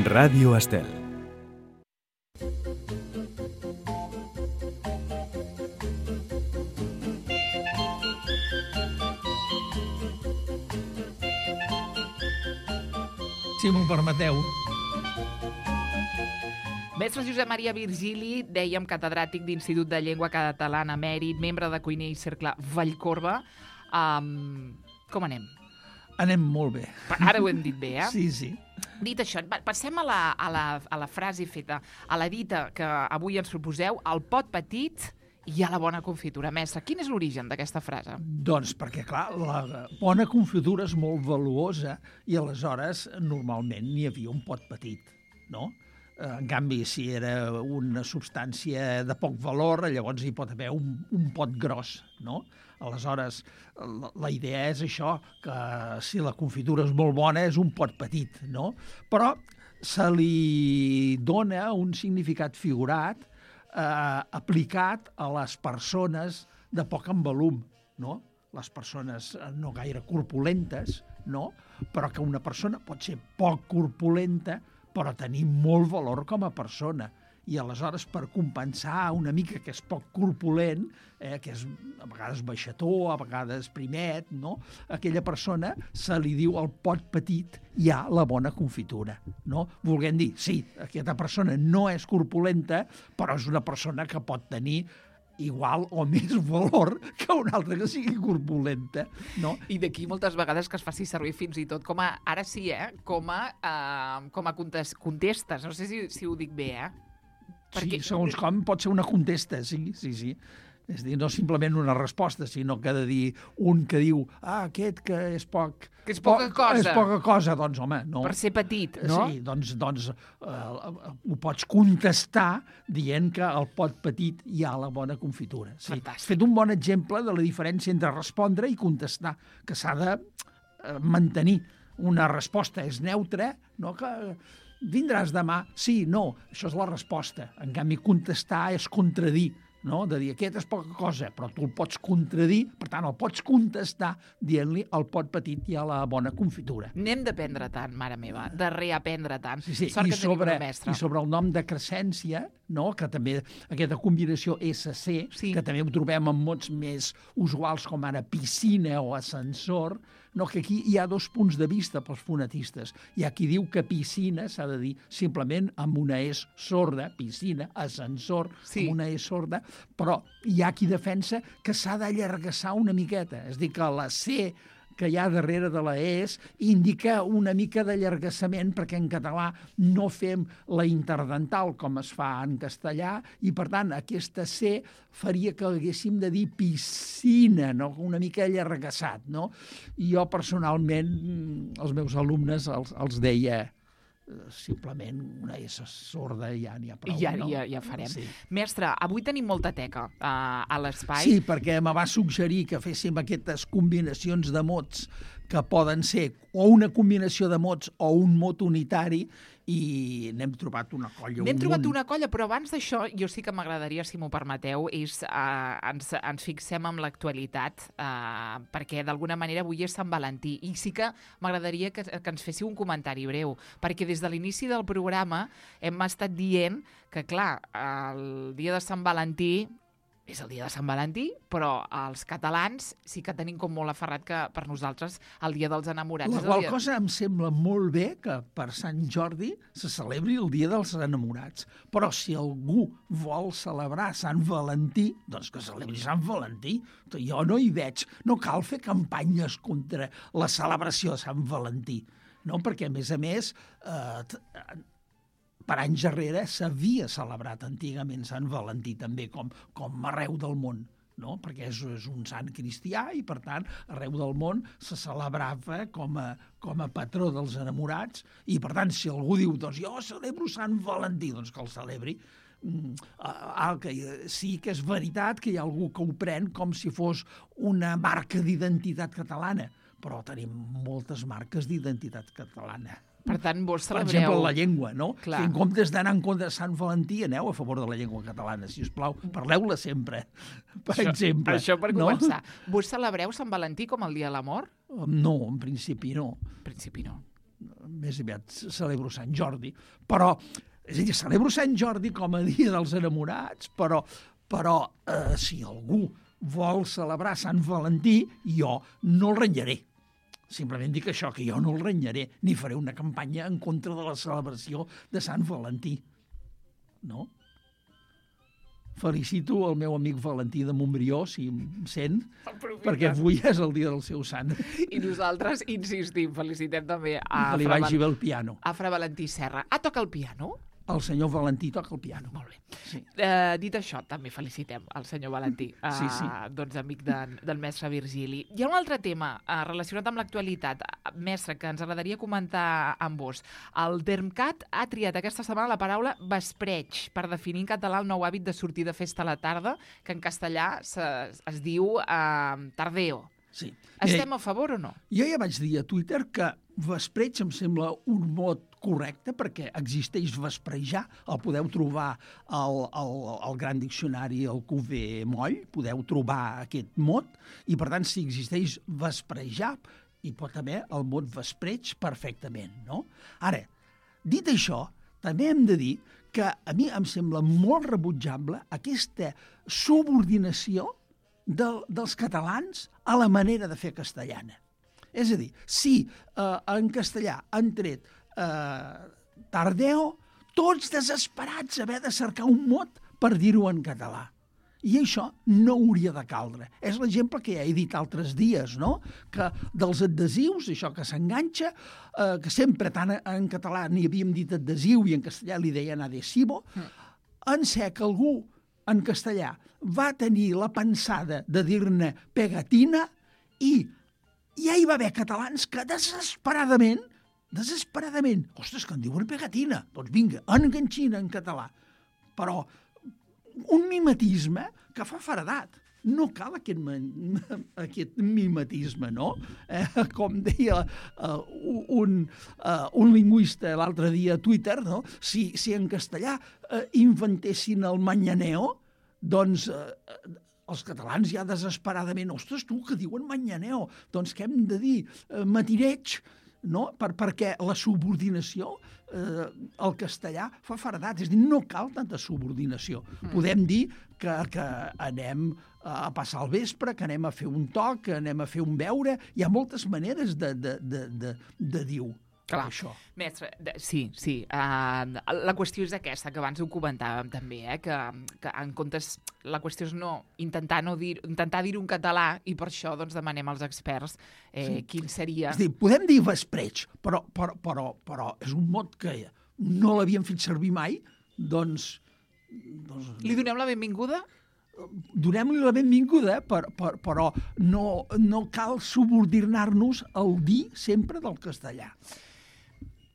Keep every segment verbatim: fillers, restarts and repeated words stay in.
Ràdio Estel. Si m'ho permeteu. Mestre Josep Maria Virgili, dèiem catedràtic d'Institut de Llengua Catalana Mèrit, membre de Cuiner i Cercle Vallcorba. Um, com anem? Anem molt bé. Ara ho hem dit bé, eh? Sí, sí. Dit això, passem a la, a la, a la frase feta, a la dita que avui ens proposeu, el pot petit i a la bona confitura. Mestre, quin és l'origen d'aquesta frase? Doncs perquè, clar, la bona confitura és molt valuosa i aleshores normalment n'hi havia un pot petit, no? En canvi, si era una substància de poc valor, llavors hi pot haver un, un pot gros, no? Aleshores, la, la idea és això, que si la confitura és molt bona és un pot petit, no? Però se li dona un significat figurat eh, aplicat a les persones de poc envolum, no? Les persones no gaire corpulentes, no? Però que una persona pot ser poc corpulenta però tenir molt valor com a persona. I aleshores, per compensar una mica que és poc corpulent, eh, que és a vegades baixató, a vegades primet, no? Aquella persona se li diu al pot petit hi ha la bona confitura, no? Volguem dir, sí, aquesta persona no és corpulenta, però és una persona que pot tenir igual o més valor que una altra que sigui corpulenta, no? I d'aquí moltes vegades que es faci servir fins i tot com a, ara sí, eh, com a, uh, com a contestes. No sé si, si ho dic bé, eh? Perquè... Sí, segons com pot ser una contesta, sí, sí, sí. És a dir, no simplement una resposta, sinó que ha de dir un que diu, ah, aquest que és poc... Que és poca poc, cosa. És poca cosa, doncs, home, no. Per ser petit, no? Sí, doncs, doncs uh, ho pots contestar dient que al pot petit hi ha la bona confitura. Sí. Fantàstic. Has fet un bon exemple de la diferència entre respondre i contestar, que s'ha de uh, mantenir. Una resposta és neutra, no? Que vindràs demà? Sí, no, això és la resposta. En canvi, contestar és contradir, no? De dir, aquest és poca cosa, però tu el pots contradir, per tant, el pots contestar dient-li al pot petit hi ha la bona confitura. N'hem d'aprendre tant, mare meva, de reaprendre tant. Sí, sí. Sort I que tenim sobre, una mestra. I sobre el nom de crescència, no? Que també aquesta combinació esse ce, sí. Que també ho trobem en mots més usuals com ara piscina o ascensor, no? Que aquí hi ha dos punts de vista pels fonetistes. Hi ha qui diu que piscina s'ha de dir simplement amb una es sorda, piscina, ascensor, sí. amb una es sorda, però hi ha qui defensa que s'ha d'allargassar una miqueta. És a dir, que la C que hi ha darrere de la es indica una mica d'allargassament perquè en català no fem la interdental com es fa en castellà i, per tant, aquesta C faria que haguéssim de dir piscina, no? Una mica allargassat, no? I jo, personalment, els meus alumnes els, els deia simplement una essa sorda i ja n'hi ha prou. I ja, no? ja, ja farem. Sí. Mestre, avui tenim molta teca uh, a l'espai. Sí, perquè me va suggerir que féssim aquestes combinacions de mots que poden ser o una combinació de mots o un mot unitari i n'hem trobat una colla. N'hem un trobat munt. una colla, però abans d'això jo sí que m'agradaria, si m'ho permeteu, és uh, ens, ens fixem en l'actualitat, uh, perquè d'alguna manera avui és Sant Valentí, i sí que m'agradaria que, que ens féssiu un comentari breu, perquè des de l'inici del programa hem estat dient que, clar, el dia de Sant Valentí és el dia de Sant Valentí, però els catalans sí que tenim com molt aferrat que per nosaltres el dia dels enamorats La és el qual dia... cosa em sembla molt bé que per Sant Jordi se celebri el dia dels enamorats, però si algú vol celebrar Sant Valentí, doncs que celebri Sant Valentí. Jo no hi veig, no cal fer campanyes contra la celebració de Sant Valentí, no? Perquè, a més a més, eh, per anys darrere s'havia celebrat antigament Sant Valentí també, com, com arreu del món, no? Perquè és, és un sant cristià i, per tant, arreu del món se celebrava com a, com a patró dels enamorats i, per tant, si algú diu, doncs jo celebro Sant Valentí, doncs que el celebri. Ah, que sí que és veritat que hi ha algú que ho pren com si fos una marca d'identitat catalana, però tenim moltes marques d'identitat catalana. Per tant, vos celebreu... Per exemple, la llengua, no? Clar. Si en comptes d'anar en contra de Sant Valentí, aneu a favor de la llengua catalana, si us plau. Parleu-la sempre, per això, exemple. Això per no? començar. Vos celebreu Sant Valentí com el dia de l'amor? No, en principi no. En principi no. més aviat celebro Sant Jordi, però, és a dir, celebro Sant Jordi com a dia dels enamorats, però, però eh, si algú vol celebrar Sant Valentí, jo no el renyaré. Simplement dic això, que jo no el renyaré, ni faré una campanya en contra de la celebració de Sant Valentí. No? Felicito el meu amic Valentí de Montbrió, si em sent, Aprofita. perquè avui és el dia del seu sant. I nosaltres insistim, felicitem també a Que li Fra, vagi bé el piano. a Fra Valentí Serra. Ah, toca el piano? El senyor Valentí toca el piano. Molt bé. Sí. Eh, dit això, també felicitem el senyor Valentí, eh, Sí, sí. doncs amic de, del mestre Virgili. Hi ha un altre tema eh, relacionat amb l'actualitat, eh, mestre, que ens agradaria comentar amb vos. El Dermcat ha triat aquesta setmana la paraula vespreig per definir en català el nou hàbit de sortir de festa a la tarda, que en castellà se, es diu eh, tardeo. Sí. Estem Mira, a favor o no? jo ja vaig dir a Twitter que vespreig em sembla un mot correcte perquè existeix vesprejar, el podeu trobar al, al, al gran diccionari, al Q V Moll, podeu trobar aquest mot, i per tant si existeix vesprejar, hi pot haver el mot vespreig perfectament, no? Ara, dit això, també hem de dir que a mi em sembla molt rebutjable aquesta subordinació del, dels catalans a la manera de fer castellana. És a dir, si eh, en castellà han tret eh, tardeo, tots desesperats haver de cercar un mot per dir-ho en català. I això no hauria de caldre. És l'exemple que ja he dit altres dies, no? Que dels adhesius, això que s'enganxa, eh, que sempre tant en català n'hi havíem dit adhesiu i en castellà li deien adhesivo, mm. en ser que algú en castellà va tenir la pensada de dir-ne pegatina i ja hi va haver catalans que desesperadament, desesperadament, ostres, que en diuen pegatina, doncs vinga, enganxina en català. Però un mimetisme que fa faredat. No cal aquest, aquest mimetisme, no? Eh, com deia uh, un, uh, un lingüista l'altre dia a Twitter, no? Si, si en castellà uh, inventessin el manyaneo, doncs uh, els catalans ja desesperadament, ostres, tu, que diuen manyaneo, doncs què hem de dir? Uh, matireig, no? Per, perquè la subordinació eh, al castellà fa faredat, és a dir, no cal tanta subordinació. Mm. Podem dir que, que anem a passar el vespre, que anem a fer un toc, que anem a fer un beure, hi ha moltes maneres de, de, de, de, de dir-ho. Clar, això. Mestre, sí, sí. Uh, la qüestió és aquesta, que abans ho comentàvem també, eh? que, que en comptes, la qüestió és no intentar no dir, intentar dir-ho en català i per això doncs, demanem als experts eh, sí. quin seria... És dir, podem dir vespreig, però, però, però, però és un mot que no l'havíem fet servir mai, doncs... doncs... Li donem la benvinguda? Donem-li la benvinguda, per, per, però no, no cal subordinar-nos al dir sempre del castellà.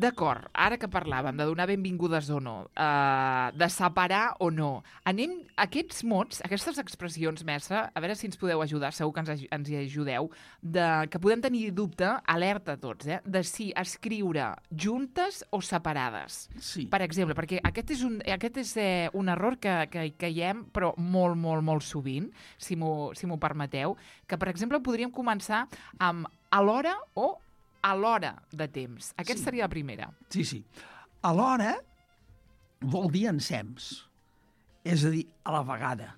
D'acord, ara que parlàvem de donar benvingudes o no, uh, de separar o no, anem, aquests mots, aquestes expressions, mestre, a veure si ens podeu ajudar, segur que ens, ens hi ajudeu, de, que podem tenir dubte, alerta tots, eh, de si escriure juntes o separades. Sí. Per exemple, perquè aquest és un, aquest és, eh, un error que, que caiem, però molt, molt, molt sovint, si m'ho si m'ho permeteu, que, per exemple, podríem començar amb a l'hora o a l'hora de temps. Aquesta sí. seria la primera. Sí, sí. A l'hora vol dir ensems. És a dir, a la vegada.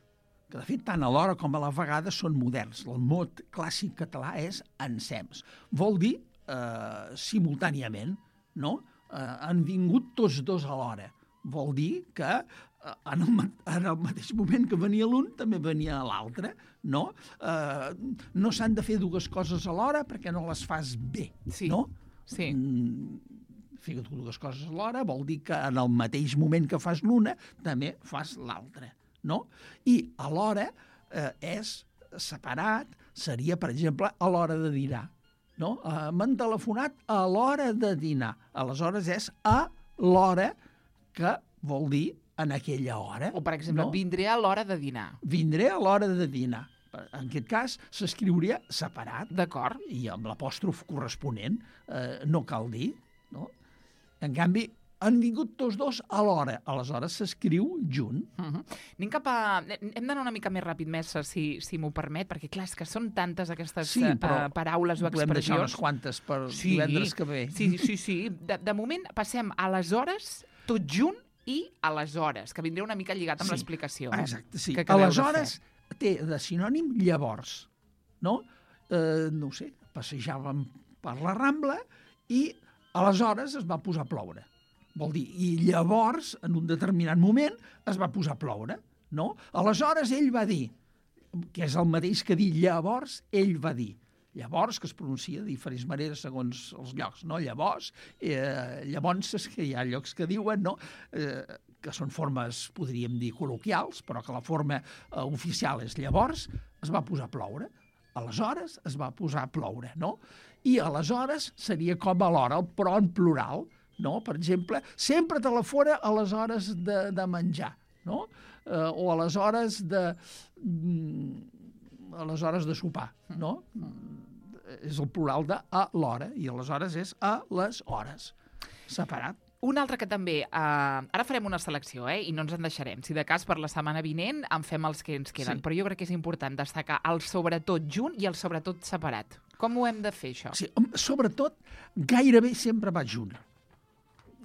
Que, de fet, tant a l'hora com a la vegada són moderns. El mot clàssic català és ensems. Vol dir eh, simultàniament, no? Eh, han vingut tots dos a l'hora. Vol dir que eh, en, el, en el mateix moment que venia l'un també venia l'altre, no? Eh, no s'han de fer dues coses alhora perquè no les fas bé, sí. no? Sí. Mm, fer dues coses alhora vol dir que en el mateix moment que fas l'una també fas l'altra, no? I alhora eh, és separat, seria, per exemple, a l'hora de dinar, no? Eh, m'han telefonat a l'hora de dinar. Aleshores és a l'hora que vol dir en aquella hora. O, per exemple, no? Vindré a l'hora de dinar. Vindré a l'hora de dinar. En aquest cas, s'escriuria separat. D'acord. I amb l'apòstrof corresponent, eh, no cal dir, no? En canvi, han vingut tots dos alhora. Aleshores s'escriu junt. Uh -huh. Anem cap a... Hem d'anar una mica més ràpid, Mestre, si, si m'ho permet, perquè, clar, és que són tantes aquestes sí, uh, paraules o expressions. Podem deixar unes quantes per sí, divendres que ve. Sí, sí, sí. De, de moment passem a les hores, tot junt, i aleshores, que vindrà una mica lligat amb sí, l'explicació. Exacte, sí. Aleshores té de sinònim llavors, no? Eh, no ho sé, passejàvem per la Rambla i aleshores es va posar a ploure. Vol dir, i llavors, en un determinat moment, es va posar a ploure, no? Aleshores ell va dir, que és el mateix que dir llavors, ell va dir. Llavors, que es pronuncia de diferents maneres segons els llocs, no? Llavors, eh, llavors, és que hi ha llocs que diuen, no?, eh, que són formes, podríem dir, col·loquials, però que la forma eh, oficial és llavors, es va posar a ploure. Aleshores es va posar a ploure, no? I aleshores seria com a l'hora, però en plural, no? Per exemple, sempre te la fora a les hores de, de menjar, no? Eh, o a les hores de... a les hores de sopar, no? És el plural de a l'hora, i aleshores és a les hores, separat. Un altre que també... Eh, ara farem una selecció, eh? I no ens en deixarem. Si de cas per la setmana vinent en fem els que ens queden. Sí. Però jo crec que és important destacar el sobretot junt i el sobretot separat. Com ho hem de fer, això? Sí, sobretot, gairebé sempre va junt.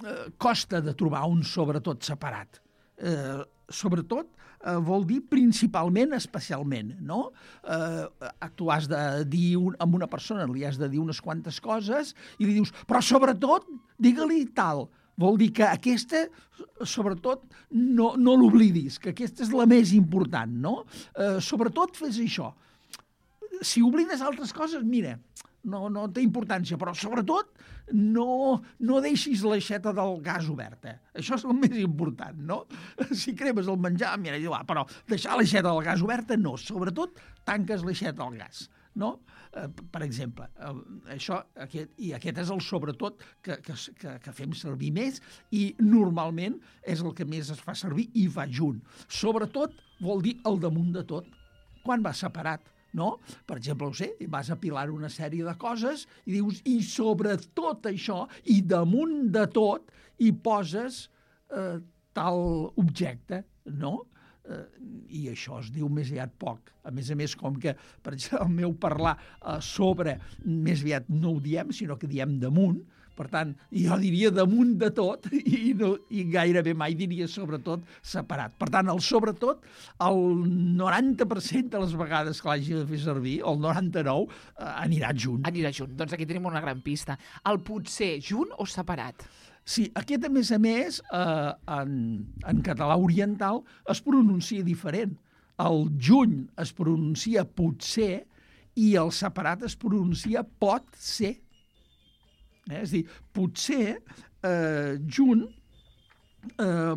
Eh, costa de trobar un sobretot separat. Eh, sobretot eh, vol dir principalment, especialment, no? Eh, tu has de dir un, amb una persona, li has de dir unes quantes coses i li dius, però sobretot, digue-li tal. Vol dir que aquesta, sobretot, no, no l'oblidis, que aquesta és la més important, no? Eh, sobretot fes això. Si oblides altres coses, mira, no, no té importància, però sobretot no, no deixis l'aixeta del gas oberta. Això és el més important, no? Si cremes el menjar, mira, ah, però deixar l'aixeta del gas oberta, no. Sobretot, tanques l'aixeta del gas, no? Eh, per exemple, eh, això, aquest, i aquest és el sobretot que, que, que, que fem servir més i normalment és el que més es fa servir i va junt. Sobretot vol dir el damunt de tot. Quan va separat, no? Per exemple, ho sé, vas apilar una sèrie de coses i dius, i sobretot això, i damunt de tot, hi poses eh, tal objecte, no? Eh, I això es diu més aviat poc. A més a més, com que, per exemple, el meu parlar eh, sobre, més aviat no ho diem, sinó que diem damunt, per tant, jo diria damunt de tot i, no, i gairebé mai diria sobretot separat. Per tant, el sobretot, el noranta per cent de les vegades que l'hagi de fer servir, el noranta-nou, eh, anirà junt. Anirà junt. Doncs aquí tenim una gran pista. El potser junt o separat? Sí, aquest, a més a més, eh, en, en català oriental es pronuncia diferent. El juny es pronuncia potser i el separat es pronuncia pot ser. Eh? És a dir, potser eh, junt eh,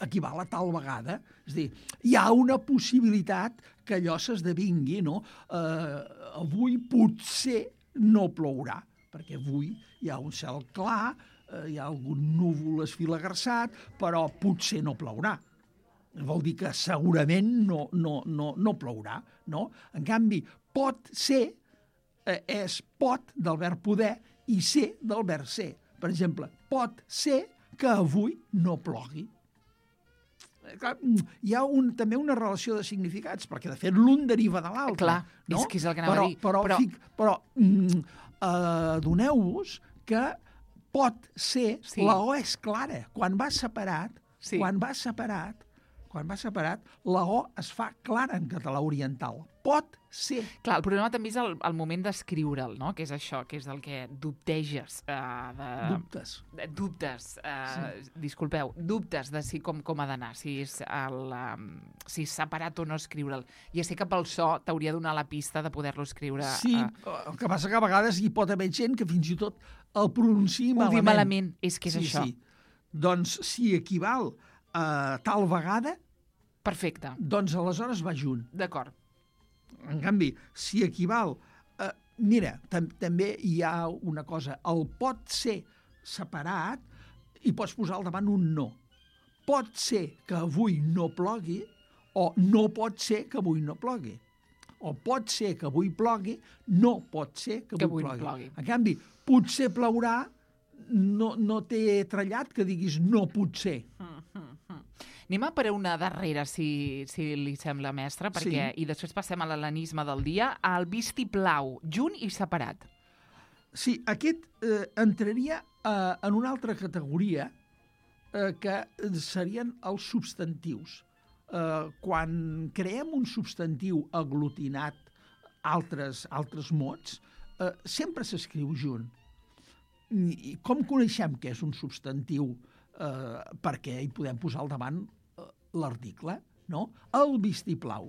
equival a tal vegada. És a dir, hi ha una possibilitat que allò s'esdevingui, no? Eh, avui potser no plourà, perquè avui hi ha un cel clar, eh, hi ha algun núvol esfilagarçat, però potser no plourà. Vol dir que segurament no, no, no, no plourà, no? En canvi, pot ser eh, és pot del verb poder i ser del verb ser. Per exemple, pot ser que avui no plogui. Hi ha un, també una relació de significats, perquè de fet l'un deriva de l'altre. Clar, no? és que és el que anava però, a dir. Però, però, fic, però mm, eh, doneu-vos que pot ser, sí. La O és clara. Quan va separat, sí. quan va separat, quan va separat, la O es fa clara en català oriental. Pot ser. Clar, el problema també és el, el moment d'escriure'l, no? Que és això, que és el que dubteges. Uh, de... Dubtes. De, dubtes. Uh, sí. Disculpeu, dubtes de si com, com ha d'anar, si és el, um, si és separat o no escriure'l. Ja sé que pel so t'hauria de donar la pista de poder-lo escriure. Sí, uh... el que passa que a vegades hi pot haver gent que fins i tot el pronunciï malament. Ho diu malament, és que és sí, això. Sí. Doncs si equival a tal vegada... Perfecte. Doncs aleshores va junt. D'acord. En canvi, si equival... Eh, mira, tam també hi ha una cosa. El pot ser separat i pots posar al davant un no. Pot ser que avui no plogui o no pot ser que avui no plogui. O pot ser que avui plogui, no pot ser que avui, que avui plogui. plogui. En canvi, potser plourà no, no té trellat que diguis no potser. Mm, mm, mm. Anem a per una darrera, si, si li sembla, mestre, perquè, Sí. i després passem a l'hel·lenisme del dia, el vistiplau, junt i separat. Sí, aquest eh, entraria eh, en una altra categoria eh, que serien els substantius. Eh, quan creem un substantiu aglutinat altres, altres mots, eh, sempre s'escriu junt. I com coneixem què és un substantiu? Eh, perquè hi podem posar al davant eh, l'article, no? El vistiplau.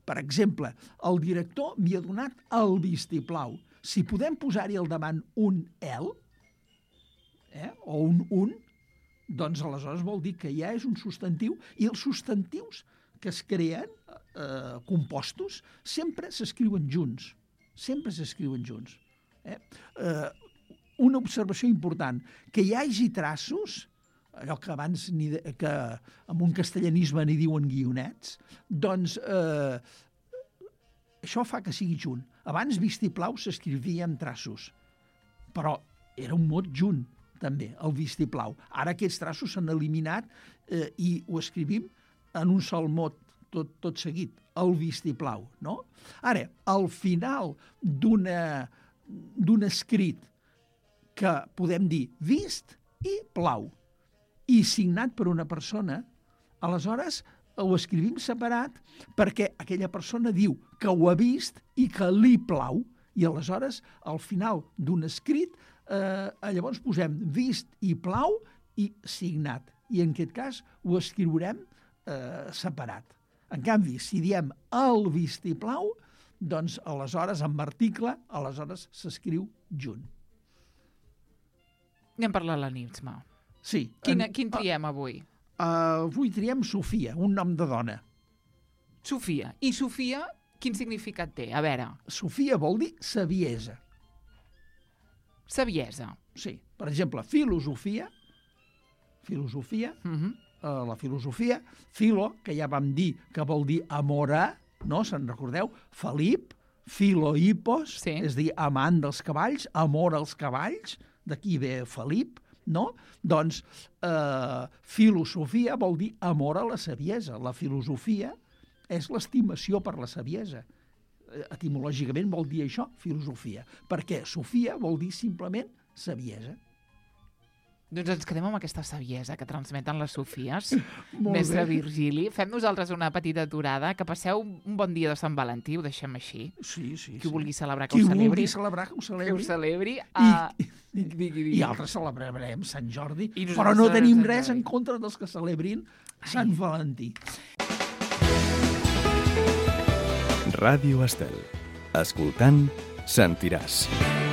Per exemple, el director m'hi ha donat el vistiplau. Si podem posar-hi al davant un el, eh, o un un, doncs aleshores vol dir que ja és un substantiu, i els substantius que es creen, eh, compostos, sempre s'escriuen junts. Sempre s'escriuen junts. Eh? Eh, una observació important, que hi hagi traços, allò que abans ni de, que en un castellanisme n'hi diuen guionets, doncs eh, això fa que sigui junt. Abans vistiplau s'escrivia amb traços, però era un mot junt, també, el vistiplau. Ara aquests traços s'han eliminat eh, i ho escrivim en un sol mot, tot, tot seguit, el vistiplau, no? Ara, al final d'una d'un escrit que podem dir vist i plau, i signat per una persona, aleshores ho escrivim separat perquè aquella persona diu que ho ha vist i que li plau, i aleshores, al final d'un escrit, eh, llavors posem vist i plau i signat. I en aquest cas ho escriurem eh, separat. En canvi, si diem el vistiplau, doncs aleshores, amb article, aleshores s'escriu junt. Anem per l'hel·lenisme. Sí. Quin, en, quin triem avui? Uh, avui triem Sofia, un nom de dona. Sofia. I Sofia, quin significat té? A veure. Sofia vol dir saviesa. Saviesa. Sí. Per exemple, filosofia, filosofia, Uh -huh. uh, la filosofia, filo, que ja vam dir que vol dir amora, no? Se'n recordeu? Felip, filohipos, Sí. és a dir, amant dels cavalls, amor als cavalls, d'aquí ve Felip, no? Doncs eh, filosofia vol dir amor a la saviesa. La filosofia és l'estimació per la saviesa. Etimològicament vol dir això, filosofia. Perquè Sofia vol dir simplement saviesa. Doncs ens quedem amb aquesta saviesa que transmeten les Sofies. Molt Mestre bé. Virgili, fem nosaltres una petita aturada, que passeu un bon dia de Sant Valentí, ho deixem així. Sí, sí. Qui sí. vulgui celebrar, que Qui ho celebri. vulgui celebrar, que ho Que celebri. ho celebri. I, Uh, i, digui, digui. I altres celebrarem Sant Jordi, I però nosaltres no tenim Sant res Jordi. en contra dels que celebrin Sant Valentí. Ràdio Estel. Escoltant, sentiràs.